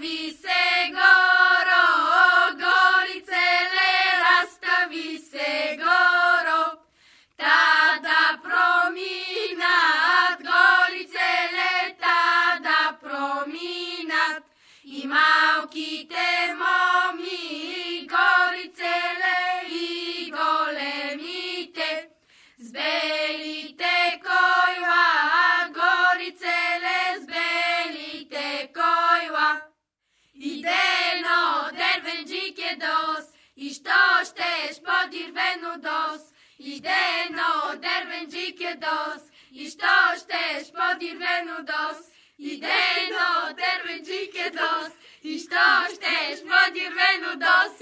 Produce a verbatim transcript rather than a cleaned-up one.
rastavi se goro, gorice le rastavi se goro, tada prominat, gorice le tada prominat, i mauki te momi, gorice le i golemite, zbelite kojva, gorice le zbelite kojva. Ideno dervenđike dos, i što šteš podirvenu dos, ideno dervenđike dos, i što šteš podirvenu dos, ideno dervenđike dos, i što šteš podirvenu dos.